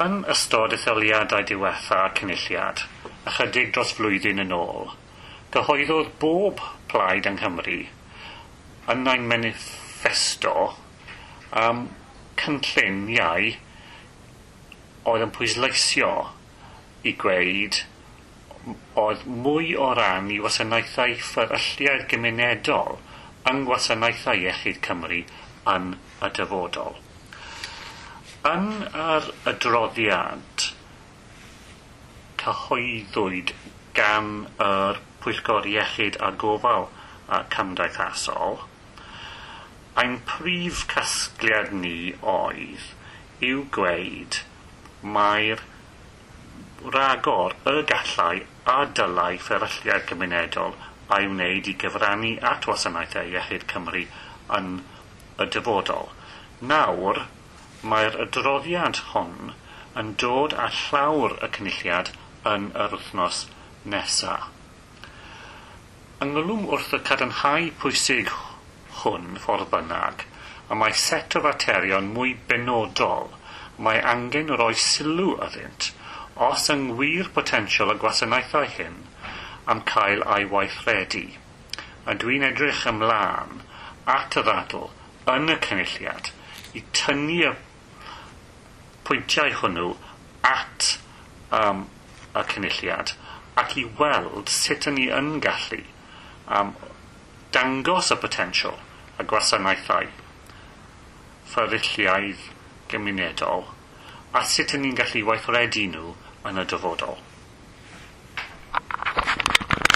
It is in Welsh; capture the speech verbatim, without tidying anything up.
Yn ystod etholiadau diwetha Cynulliad, ychydig dros flwyddyn yn ôl, gyhoeddodd bob plaid yng Nghymru yn ein manifesto um, cynlluniau oedd yn pwysleisio i gweud oedd mwy o ran i wasanaethau fferylliaeth gymunedol yng ngwasanaethau iechyd Cymru yn y dyfodol. Yn yr adroddiad cyhoeddwyd gan yr Pwyllgor Iechyd a Gofal a Cymdeithasol, ein prif casgliad ni oedd yw gweud mae'r ragor y gallai a dylai fferylliaeth gymunedol a'i wneud i gyfrannu at wasanaethau iechyd Cymru yn y dyfodol. Nawr, mae'r adroddiad hwn yn dod â llawr y Cynulliad yn yr wythnos nesaf. Ynghlwm wrth y cadarnhau pwysig hwn ffordd bynnag, a mae set o faterion mwy benodol mae angen rhoi sylw iddynt os yng ngwir potensial y gwasanaethau hyn am cael ei weithredu. A dwi'n edrych ymlaen at y ddadl yn y Cynulliad i tynnu y pwyntiau hwnnw at um, y Cynulliad ac i weld sut yn ni yn gallu um, dangos y potensial y gwasanaethau fferylliaeth gymunedol a sut yn ni'n gallu weithredu nhw yn y dyfodol.